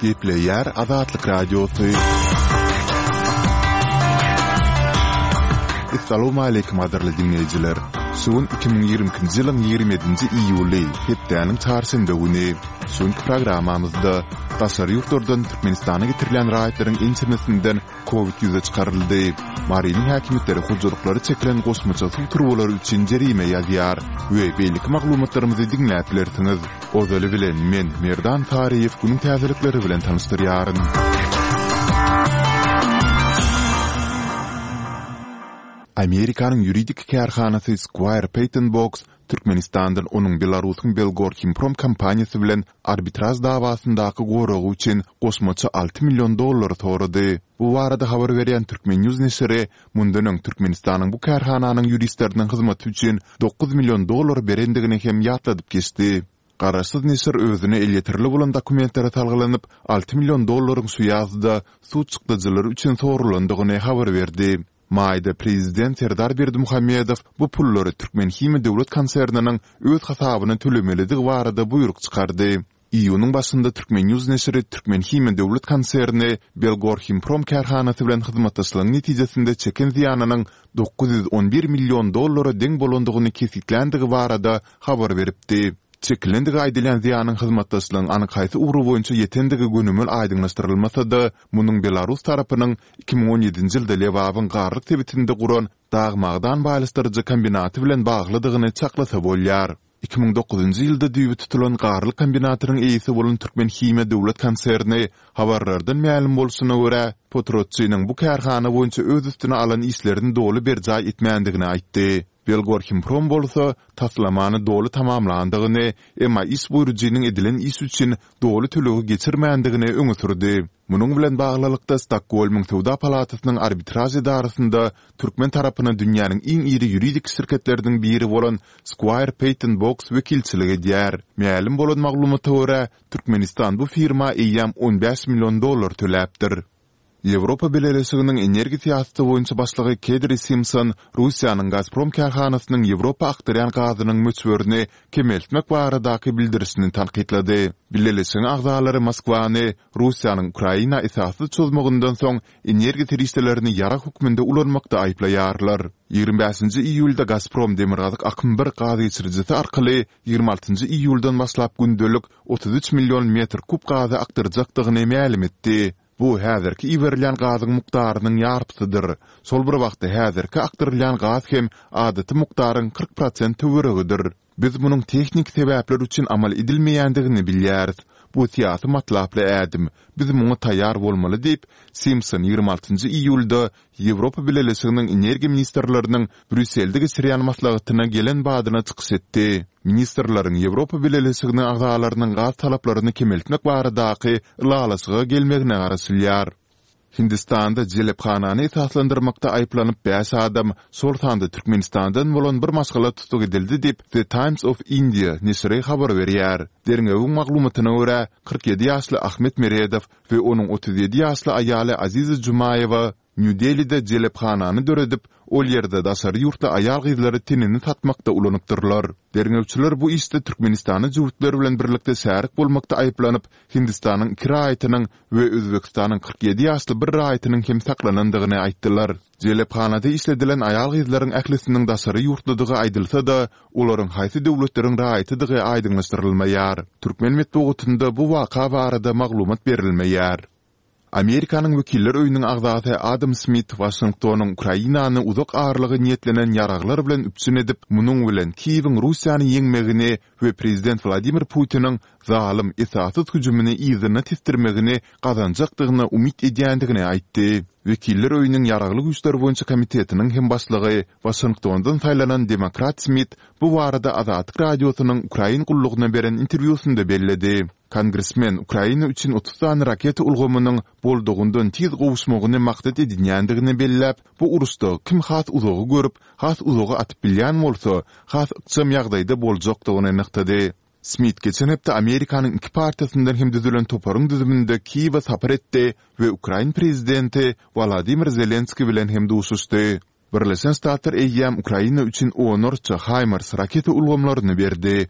Gepleýär Azatlyk Radiosy. Assalamualaikum gadyrly diňleýjiler. Şu gün 2022-nji ýylyň 27-nji iýuly, hepdäniň çarşenbe güni. Şu günki programmamyzda daşary ýurtlardan Türkmenistana getirilýän raýatlaryň ençemesinden Covid ýüze çykaryldy. Marynyň häkimiýetleri hojalyklara çekilen goşmaça suw turbalary üçin jerime ýazýar we beýleki maglumatlarymyzy diňläp bilersiňiz. Ozaly bilen men, Merdan Saryýew günüň täzelikleri bilen tanyşdyrýaryn. Amerikanyň ýuridik kärhanasy Squire Patton Boggs Türkmenistandan onuň Belarusyň Belgorhimprom kompaniýasy bilen arbitraž dawasyndaky goragy üçin goşmaça 6 million dollary sorady. Bu barada habar berýän Turkmen. News neşiri mundan öň Türkmenistanyň bu kärhananyň ýuristleriniň hyzmaty üçin 9 million dollar berendigini hem ýatladyp geçdi. Garaşsyz neşir özüne elýeterli bolan dokumentlere salgylanyp, 6 million dollaryň şu ýazda sud çykdajylary üçin soralandygyny habar berdi. Maýda prezident Serdar Berdimuhamedow bu pullary Türkmenhimiýa döwlet konserniniň öz hasabyna tölemelidigi barada buýruk çykardy. Iýunyň başynda Turkmennews neşiri Türkmenhimiýa döwlet konserni Belgorhimprom kärhanasy bilen hyzmatdaşlygyň netijesinde çeken zyýanynyň 911 million dollara deň bolandygyny kesgitländigi barada habar beripdi. Çekilendigi aýdylýan zyýanyň hyzmatdaşlygyň anyk haýsy ugry boýunça ýetendigi gönümel aýdyňlaşdyrylmasa-da, munuň belarus tarapynyň 2017-nji ýylda Lebabyň Garlyk sebitinde guran dag-magdan baýlaşdyryjy kombinaty bilen baglydygyny çaklasa bolýar. 2009-njy ýylda düýbi tutulan Garlyk kombinatynyň eýesi bolan Türkmenhimiýa döwlet konserni, habarlardan mälim bolşuna görä, potratçynyň bu kärhana boýunça öz üstüne alan işlerini doly berjaý etmändigini aýtdy. Belgorhimprom bolsa, taslamany doly tamamlandygyny, emma iş buýrujynyň edilen iş üçin doly tölegi geçirmändigini öňe sürdi. Munuň bilen baglylykda, Stokgolmyň Söwda palatasynyň arbitraž edarasynda türkmen tarapyna dünýäniň iň iri ýuridik şirketleriniň biri bolan Squire Patton Boggs wekilçilik edýär. Mälim bolan maglumata görä, Türkmenistan bu firma eýýäm 15 million dollar töläpdir. Ýewropa Bileleşiginiň energiýa syýasaty boýunça başlygy Kedri Simpson Russiýanyň Gazprom kärhanasynyň Ýewropa akdyrýan gazynyň möçberini kemeltmek baradaky bildirişini tankytlady. Bileleşigiň agzalary Moskwany Russiýanyň Ukraina esassyz çozmagyndan soň energiýa serişdelerini ýarag hökmünde ulanmakda aýyplaýarlar. 25-nji iýulda Gazprom Demirgazyk akym bir gazgeçirijisi arkaly 26-njy iýuldan başlap gündelik 33 million metr kub gazy akdyrjakdygyny mälim etdi. Bu häzirki iberilýän gazyň mukdarynyň ýarpysydyr. Şol bir wagtda häzirki akdyrylýan gaz hem adaty mukdaryň 40 prosent töweregidir. Biz munuň tehniki sebäpler üçin amal edilmeýändigini bilýäris. Bu syýasy matlaply ädim. Biz muňa taýýar bolmaly diýip, Simpson 26-njy iýulda Ýewropa Bileleşiginiň energiýa ministrleriniň Brýusselde geçirýän maslahatyna gelen badyna çykyş etdi. Ministrleriň Ýewropa Bileleşiginiň agzalarynyň gaz talaplaryny kemeltmek baradaky ylalaşyga gelmegine garaşylýar. Hindistanda jelephanany esaslandyrmakda aýyplanyp bäş adam, şol sanda Türkmenistandan bolan bir maşgala tussag edildi diýip, The Times of India neşiri habar berýär. Derňewiň maglumatyna görä, 47 ýaşly Ahmet Meredow we onuň 37 ýaşly aýaly Aziza Jumaýewa Nýu-Delide jelephanany döredip, ol ýerde daşary ýurtly aýal-gyzlary tenini satmakda ulanypdyrlar. Derňewçiler bu işde türkmenistanly jübütler bilen birlikde şärik bolmakda aýyplanyp, Hindistanyň iki raýatynyň we Özbegistanyň 47 ýaşly bir raýatynyň hem saklanandygyny aýtdylar. Jelephanada işledilen aýal-gyzlaryň ählisiniň daşary ýurtludygy aýdylsa-da, olaryň haýsy döwletleriň raýatydygy aýdyňlaşdyrylmaýar. Türkmen metbugatynda bu waka barada maglumat berilmeýär. Amerikanyň Wekiller öýüniň agzasy Adam Smit Waşingtonyň Ukrainany uzak aralyga niýetlenen ýaraglar bilen üpjün edip, munuň bilen Kiýewiň Russiýany ýeňmegini we prezident Wladimir Putiniň zalym, esassyz hüjümini yzyna tesdirmegini gazanjakdygyna umyt edýändigini aýtdy. Wekiller öýüniň Ýaragly güýçler boýunça komitetiniň hem başlygy, Waşingtondan saýlanan demokrat Smit bu barada Azatlyk Radiosynyň Ukrain gullugyna beren interwýusynda belledi. Kongresmen Ukraina üçin 30 sany raketa ulgamynyň boldugyndan tiz gowuşmagyny maksat edinýändigini belläp, bu uruşda kim has uzagy görüp, has uzaga atyp bilýän bolsa, has ykjam ýagdaýda boljakdygyny nygtady. Smit geçen hepde Amerikanyň iki partiýasyndan hem düzülen toparyň düzüminde Kiýewe sapar etdi we ukrain prezidenti Wolodymyr Zelenskiý bilen hem duşuşdy. Birleşen Ştatlar eýýäm Ukraina üçin onlarça HIMARS raketa ulgamlaryny berdi.